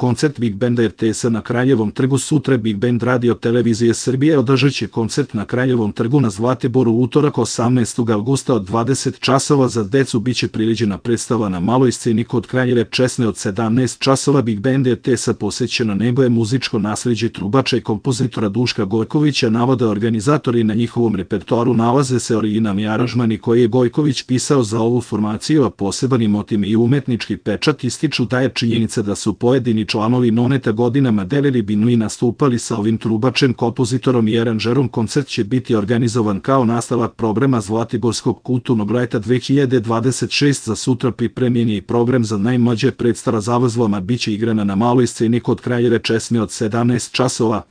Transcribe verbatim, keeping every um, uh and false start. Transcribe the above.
Koncert Big Banda er te es na Kraljevom trgu sutra. Big Band Radio Televizije Srbije održat će koncert na Kraljevom trgu na Zlatiboru utorak osamnaestog avgusta od dvadeset časova. Za decu biće priređena predstava na maloj sceni kod Kraljeve česme od sedamnaest časova. Big Band er te es posvećeno nego je muzičko nasleđe trubača i kompozitora Duška Gojkovića. Navode organizatori, na njihovom repertoaru nalaze se originalni aranžmani koje je Gojković pisao za ovu formaciju, a poseban motiv i umetnički pečat ističu da je činjenica da su pojedini članovi Noneta godinama delili binu i nastupali sa ovim trubačem, kompozitorom i aranžerom. Koncert će biti organizovan kao nastavak programa Zlatiborskog kulturnog leta dve hiljade dvadeset šeste. Za sutra pripremljen je i program za najmlađe. Predstava zavrzlama biće igrana na maloj sceni kod Kraljeve česme od sedamnaest časova.